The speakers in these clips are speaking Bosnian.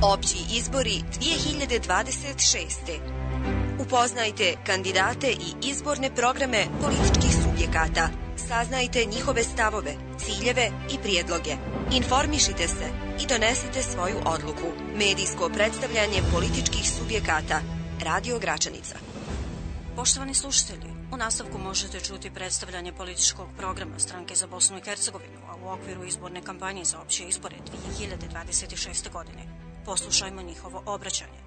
Opći izbori 2026. Upoznajte kandidate i izborne programe političkih subjekata. Saznajte njihove stavove, ciljeve i prijedloge. Informišite se i donesite svoju odluku. Medijsko predstavljanje političkih subjekata. Radio Gračanica. Poštovani slušatelji, u nastavku možete čuti predstavljanje političkog programa Stranke za Bosnu i Hercegovinu, a u okviru izborne kampanje za opće izbore 2026. godine. Poslušajmo njihovo obraćanje.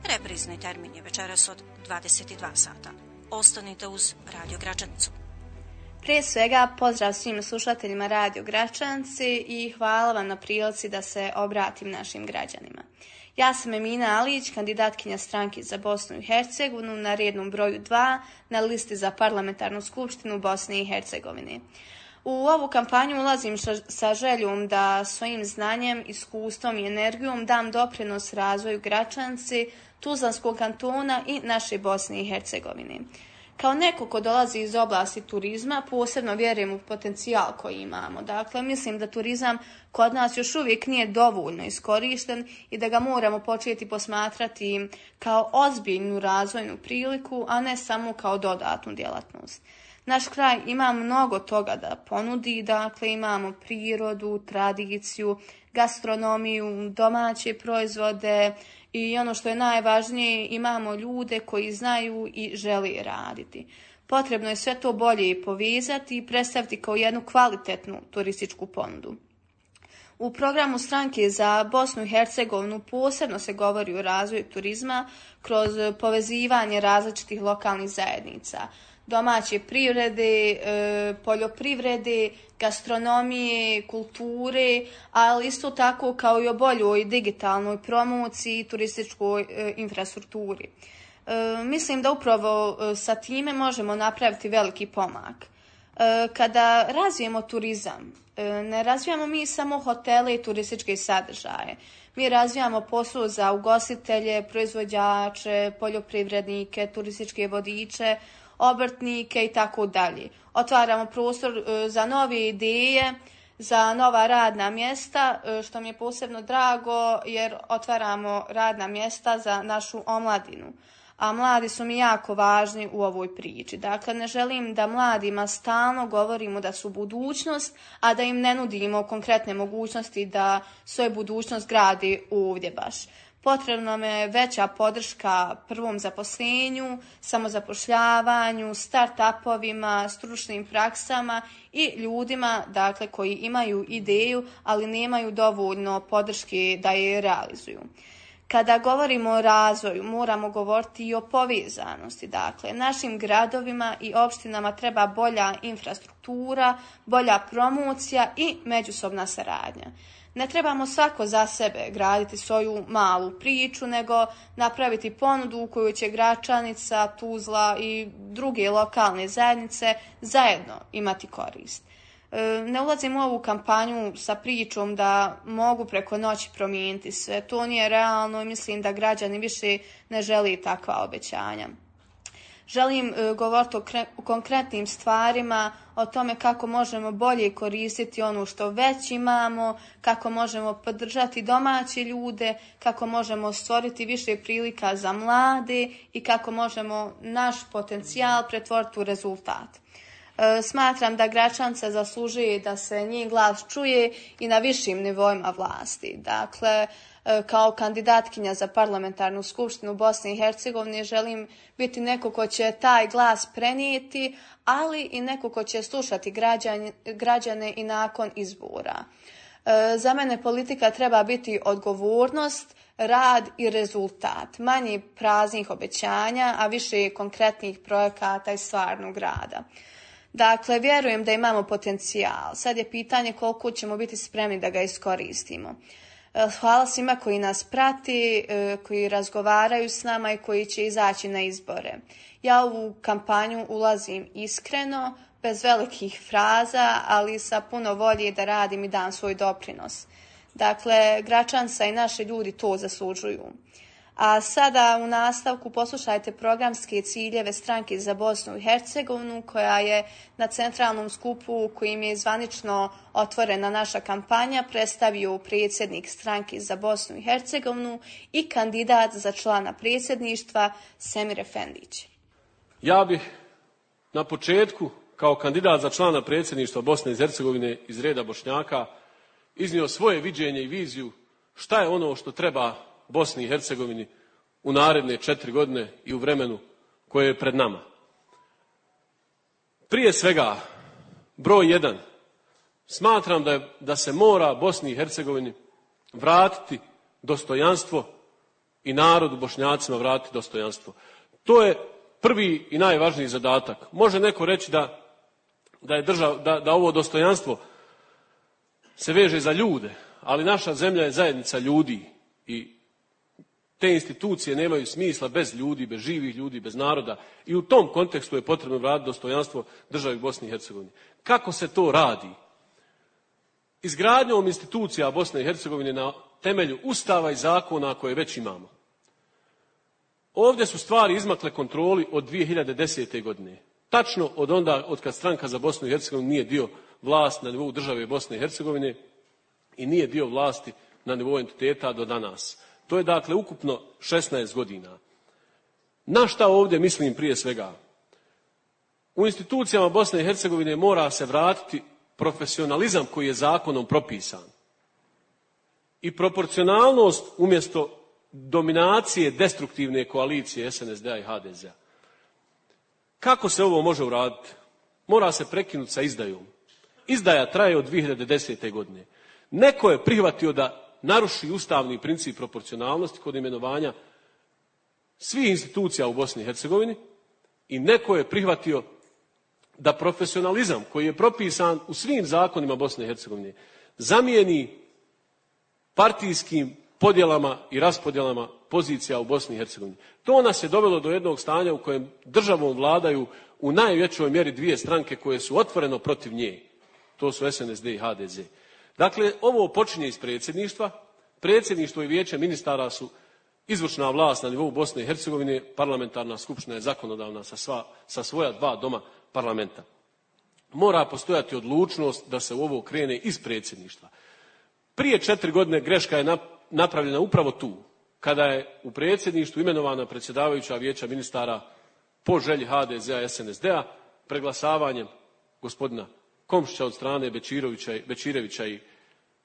Reprizni termin je večeras od 22 sata. Ostanite uz Radio Gračanicu. Prije svega, pozdrav svim slušateljima Radio Gračanci i hvala vam na prilici da se obratim našim građanima. Ja sam Emina Alić, kandidatkinja Stranke za Bosnu i Hercegovinu na rednom broju 2 na listi za parlamentarnu skupštinu Bosne i Hercegovine. U ovu kampanju ulazim sa željom da svojim znanjem, iskustvom i energijom dam doprinos razvoju Gračanci, Tuzlanskog kantona i naše Bosne i Hercegovine. Kao neko ko dolazi iz oblasti turizma, posebno vjerujem u potencijal koji imamo. Dakle, mislim da turizam kod nas još uvijek nije dovoljno iskorišten i da ga moramo početi posmatrati kao ozbiljnu razvojnu priliku, a ne samo kao dodatnu djelatnost. Naš kraj ima mnogo toga da ponudi, dakle imamo prirodu, tradiciju, gastronomiju, domaće proizvode i ono što je najvažnije, imamo ljude koji znaju i žele raditi. Potrebno je sve to bolje povezati i predstaviti kao jednu kvalitetnu turističku ponudu. U programu Stranke za Bosnu i Hercegovinu posebno se govori o razvoju turizma kroz povezivanje različitih lokalnih zajednica, domaće privrede, poljoprivrede, gastronomije, kulture, ali isto tako kao i o boljoj digitalnoj promociji i turističkoj infrastrukturi. Mislim da upravo sa time možemo napraviti veliki pomak. Kada razvijemo turizam, ne razvijamo mi samo hotele i turističke sadržaje. Mi razvijamo posao za ugostitelje, proizvođače, poljoprivrednike, turističke vodiče, obrtnike i tako dalje. Otvaramo prostor za nove ideje, za nova radna mjesta, što mi je posebno drago jer otvaramo radna mjesta za našu omladinu. A mladi su mi jako važni u ovoj priči. Dakle, ne želim da mladima stalno govorimo da su budućnost, a da im ne nudimo konkretne mogućnosti da svoju budućnost gradi ovdje baš. Potrebna nam je veća podrška prvom zaposlenju, samozapošljavanju, start-upovima, stručnim praksama i ljudima, dakle, koji imaju ideju, ali nemaju dovoljno podrške da je realizuju. Kada govorimo o razvoju, moramo govoriti i o povezanosti. Dakle, našim gradovima i opštinama treba bolja infrastruktura, bolja promocija i međusobna saradnja. Ne trebamo svako za sebe graditi svoju malu priču, nego napraviti ponudu u kojoj će Gračanica, Tuzla i druge lokalne zajednice zajedno imati korist. Ne ulazim u ovu kampanju sa pričom da mogu preko noći promijeniti sve. To nije realno i mislim da građani više ne žele takva obećanja. Želim govoriti o konkretnim stvarima, o tome kako možemo bolje koristiti ono što već imamo, kako možemo podržati domaće ljude, kako možemo stvoriti više prilika za mlade i kako možemo naš potencijal pretvoriti u rezultat. Smatram da Gračanca zaslužuje da se njen glas čuje i na višim nivoima vlasti. Dakle, kao kandidatkinja za parlamentarnu skupštinu Bosne i Hercegovine želim biti neko ko će taj glas prenijeti, ali i neko ko će slušati građane i nakon izbora. Za mene politika treba biti odgovornost, rad i rezultat. Manje praznih obećanja, a više konkretnih projekata i stvarnog rada. Dakle, vjerujem da imamo potencijal. Sad je pitanje koliko ćemo biti spremni da ga iskoristimo. Hvala svima koji nas prati, koji razgovaraju s nama i koji će izaći na izbore. Ja u ovu kampanju ulazim iskreno, bez velikih fraza, ali sa puno volje da radim i dam svoj doprinos. Dakle, Gračanca i naši ljudi to zaslužuju. A sada u nastavku poslušajte programske ciljeve stranke za Bosnu i Hercegovinu, koja je na centralnom skupu kojim je zvanično otvorena naša kampanja predstavio predsjednik stranke za Bosnu i Hercegovinu i kandidat za člana predsjedništva Semir Efendić. Ja bih na početku kao kandidat za člana predsjedništva Bosne i Hercegovine iz reda Bošnjaka iznio svoje viđenje i viziju šta je ono što treba Bosni i Hercegovini u naredne 4 godine i u vremenu koje je pred nama. Prije svega, broj 1, smatram da se mora Bosni i Hercegovini vratiti dostojanstvo i narodu Bošnjacima vratiti dostojanstvo. To je prvi i najvažniji zadatak. Može neko reći da ovo dostojanstvo se veže za ljude, ali naša zemlja je zajednica ljudi i te institucije nemaju smisla bez ljudi, bez živih ljudi, bez naroda. I u tom kontekstu je potrebno vratiti dostojanstvo državi Bosni i Hercegovini. Kako se to radi? Izgradnjom institucija Bosne i Hercegovine na temelju ustava i zakona koje već imamo. Ovdje su stvari izmakle kontroli od 2010. godine. Tačno od kad stranka za Bosnu i Hercegovinu nije dio vlasti na nivou države Bosne i Hercegovine i nije dio vlasti na nivou entiteta do danas. To je dakle ukupno 16 godina. Na šta ovdje mislim prije svega? U institucijama Bosne i Hercegovine mora se vratiti profesionalizam koji je zakonom propisan. I proporcionalnost umjesto dominacije destruktivne koalicije SNSD-a i HDZ-a. Kako se ovo može uraditi? Mora se prekinuti sa izdajom. Izdaja traje od 2010. godine. Neko je prihvatio da naruši ustavni princip proporcionalnosti kod imenovanja svih institucija u Bosni i Hercegovini i neko je prihvatio da profesionalizam koji je propisan u svim zakonima Bosne i Hercegovine zamijeni partijskim podjelama i raspodjelama pozicija u Bosni i Hercegovini. To nas je dovelo do jednog stanja u kojem državom vladaju u najvećoj mjeri dvije stranke koje su otvoreno protiv nje. To su SNSD i HDZ. Dakle, ovo počinje iz predsjedništva. Predsjedništvo i vijeće ministara su izvršna vlast na nivou Bosne i Hercegovine, parlamentarna skupština je zakonodavna sa svoja 2 doma parlamenta. Mora postojati odlučnost da se u ovo krene iz predsjedništva. Prije 4 godine greška je napravljena upravo tu, kada je u predsjedništvu imenovana predsjedavajuća vijeća ministara po želji HDZ-a i SNSD-a preglasavanjem gospodina Komšića od strane Bečirevića i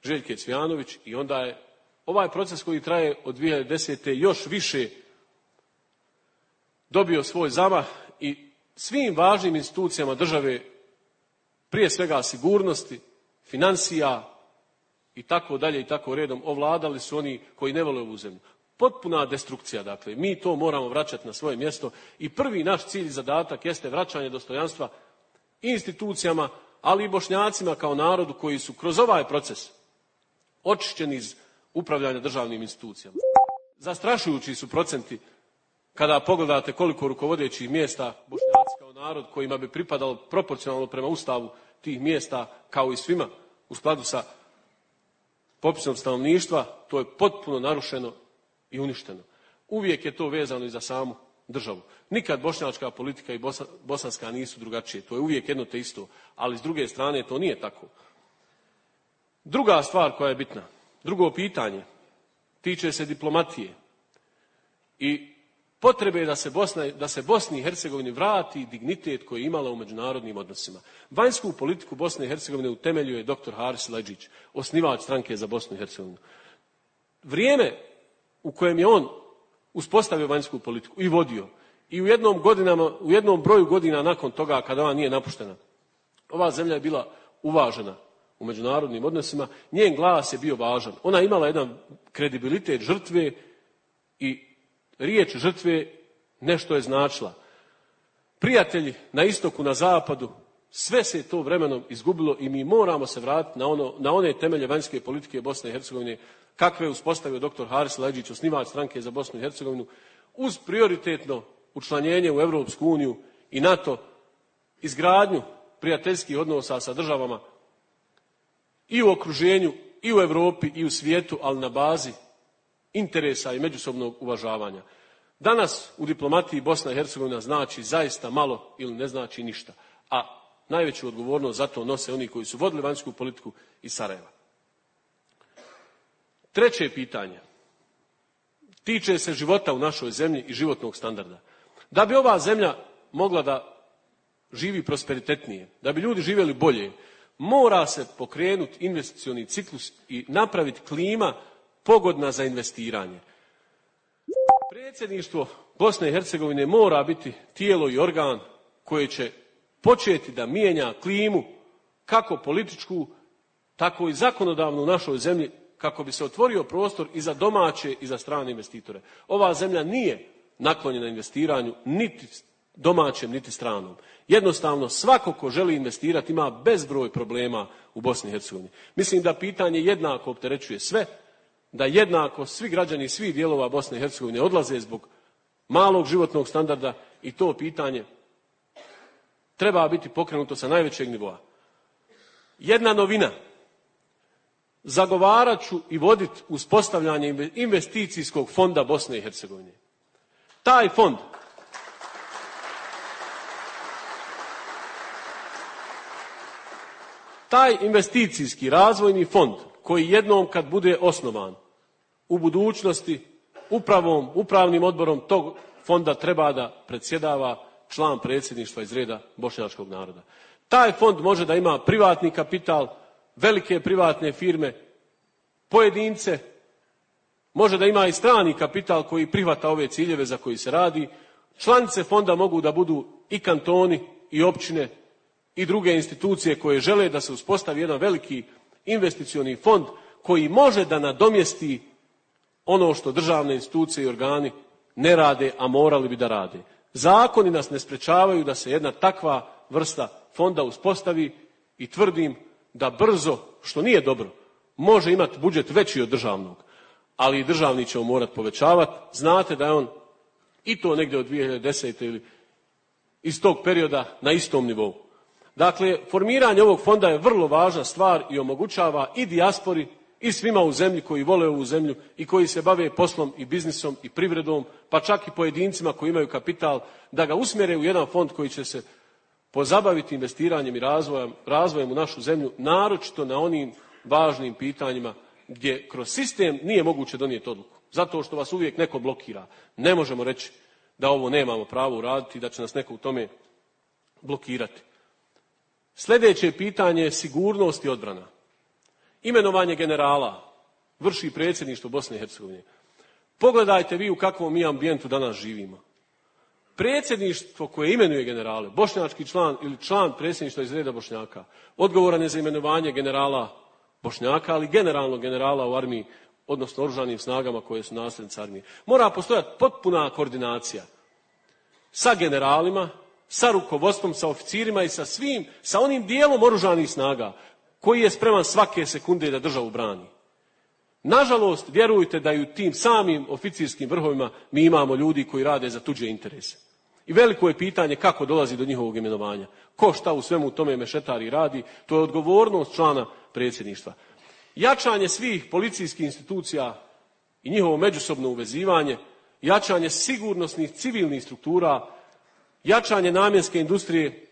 Željke Cvijanović i onda je ovaj proces koji traje od 2010. još više dobio svoj zamah i svim važnim institucijama države, prije svega sigurnosti, financija i tako dalje i tako redom, ovladali su oni koji ne vole ovu zemlju. Potpuna destrukcija, dakle, mi to moramo vraćati na svoje mjesto i prvi naš cilj i zadatak jeste vraćanje dostojanstva i institucijama, ali i Bošnjacima kao narodu koji su kroz ovaj proces očišćeni iz upravljanja državnim institucijama. Zastrašujući su procenti kada pogledate koliko rukovodećih mjesta Bošnjaci kao narod kojima bi pripadalo proporcionalno prema ustavu tih mjesta kao i svima u skladu sa popisom stanovništva, to je potpuno narušeno i uništeno. Uvijek je to vezano i za samu državu. Nikad bošnjačka politika i bosanska nisu drugačije. To je uvijek jedno te isto. Ali s druge strane to nije tako. Druga stvar koja je bitna, drugo pitanje, tiče se diplomatije i potrebe da se Bosni i Hercegovini vrati dignitet koji je imala u međunarodnim odnosima. Vanjsku politiku Bosne i Hercegovine utemeljuje dr. Haris Leđić, osnivač stranke za Bosnu i Hercegovinu. Vrijeme u kojem je on uspostavio vanjsku politiku i vodio i u jednom broju godina nakon toga kada ona nije napuštena, ova zemlja je bila uvažena u međunarodnim odnosima, njen glas je bio važan. Ona je imala jedan kredibilitet žrtve i riječ žrtve nešto je značila. Prijatelji na istoku, na zapadu, sve se to vremenom izgubilo i mi moramo se vratiti na one temelje vanjske politike Bosne i Hercegovine kakve je uspostavio dr. Haris Leđić, osnivač stranke za Bosnu i Hercegovinu, uz prioritetno učlanjenje u Europsku uniju i NATO, izgradnju prijateljskih odnosa sa državama i u okruženju, i u Europi, i u svijetu, ali na bazi interesa i međusobnog uvažavanja. Danas u diplomatiji Bosna i Hercegovina znači zaista malo ili ne znači ništa, a najveću odgovornost za to nose oni koji su vodili vanjsku politiku iz Sarajeva. Treće pitanje tiče se života u našoj zemlji i životnog standarda. Da bi ova zemlja mogla da živi prosperitetnije, da bi ljudi živjeli bolje, mora se pokrenuti investicioni ciklus i napraviti klima pogodna za investiranje. Predsjedništvo Bosne i Hercegovine mora biti tijelo i organ koje će početi da mijenja klimu kako političku, tako i zakonodavnu u našoj zemlji, kako bi se otvorio prostor i za domaće i za strane investitore. Ova zemlja nije naklonjena investiranju niti domaćem, niti stranom. Jednostavno, svako ko želi investirati ima bezbroj problema u Bosni i Hercegovini. Mislim da pitanje jednako opterećuje sve, da jednako svi građani svih dijelova Bosne i Hercegovine odlaze zbog malog životnog standarda i to pitanje treba biti pokrenuto sa najvećeg nivoa. Jedna novina. Zagovarat ću i voditi uspostavljanje investicijskog fonda Bosne i Hercegovine. Taj investicijski razvojni fond koji jednom kad bude osnovan u budućnosti upravnim odborom tog fonda treba da predsjedava član predsjedništva iz reda bošnjačkog naroda. Taj fond može da ima privatni kapital, velike privatne firme, pojedince, može da ima i strani kapital koji prihvata ove ciljeve za koji se radi. Članice fonda mogu da budu i kantoni i općine i druge institucije koje žele da se uspostavi jedan veliki investicioni fond koji može da nadomjesti ono što državne institucije i organi ne rade, a morali bi da rade. Zakoni nas ne sprečavaju da se jedna takva vrsta fonda uspostavi i tvrdim da brzo, što nije dobro, može imati budžet veći od državnog, ali i državni ćemo morati povećavati. Znate da je on i to negdje od 2010. ili iz tog perioda na istom nivou. Dakle, formiranje ovog fonda je vrlo važna stvar i omogućava i dijaspori i svima u zemlji koji vole ovu zemlju i koji se bave poslom i biznisom i privredom, pa čak i pojedincima koji imaju kapital, da ga usmjere u jedan fond koji će se pozabaviti investiranjem i razvojem u našu zemlju, naročito na onim važnim pitanjima gdje kroz sistem nije moguće donijeti odluku. Zato što vas uvijek neko blokira. Ne možemo reći da ovo nemamo pravo uraditi i da će nas neko u tome blokirati. Sljedeće pitanje je sigurnost i odbrana. Imenovanje generala vrši predsjedništvo Bosne i Hercegovine. Pogledajte vi u kakvom mi ambijentu danas živimo. Predsjedništvo koje imenuje generale, bošnjački član ili član predsjedništva iz reda Bošnjaka, odgovoran je za imenovanje generala Bošnjaka, ali generalnog generala u armiji, odnosno oružanim snagama koje su nasljednice armije. Mora postojati potpuna koordinacija sa generalima, sa rukovodstvom, sa oficirima i sa svim, sa onim dijelom oružanih snaga koji je spreman svake sekunde da državu brani. Nažalost, vjerujte da i u tim samim oficirskim vrhovima mi imamo ljudi koji rade za tuđe interese. I veliko je pitanje kako dolazi do njihovog imenovanja. Ko šta u svemu tome mešetari radi, to je odgovornost člana predsjedništva. Jačanje svih policijskih institucija i njihovo međusobno uvezivanje, jačanje sigurnosnih civilnih struktura, jačanje namjenske industrije,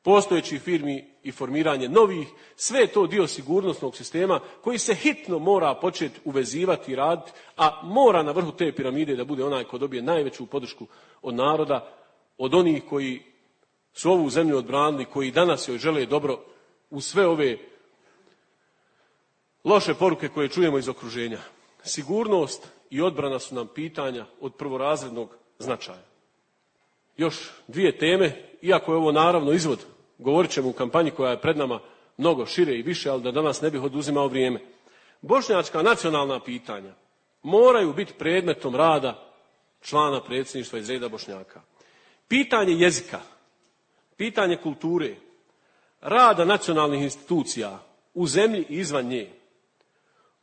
postojećih firmi i formiranje novih, sve je to dio sigurnosnog sistema koji se hitno mora početi uvezivati i raditi, a mora na vrhu te piramide da bude onaj ko dobije najveću podršku od naroda, od onih koji su ovu zemlju odbranili, koji danas joj žele dobro u sve ove loše poruke koje čujemo iz okruženja. Sigurnost i odbrana su nam pitanja od prvorazrednog značaja. Još dvije teme, iako je ovo naravno izvod, govorit ćemo u kampanji koja je pred nama mnogo šire i više, ali da danas ne bih oduzimao vrijeme. Bošnjačka nacionalna pitanja moraju biti predmetom rada člana predsjedništva iz reda Bošnjaka. Pitanje jezika, pitanje kulture, rada nacionalnih institucija u zemlji i izvan nje.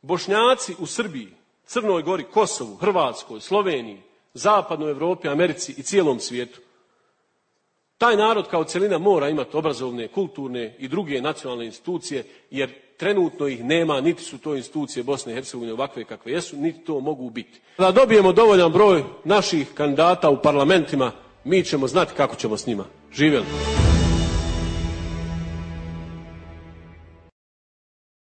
Bošnjaci u Srbiji, Crnoj Gori, Kosovu, Hrvatskoj, Sloveniji, Zapadnoj Europi, Americi i cijelom svijetu Taj narod kao celina mora imati obrazovne, kulturne i druge nacionalne institucije, jer trenutno ih nema, niti su to institucije Bosne i Hercegovine ovakve kakve jesu, niti to mogu biti. Da dobijemo dovoljan broj naših kandidata u parlamentima, mi ćemo znati kako ćemo s njima. Živjeli!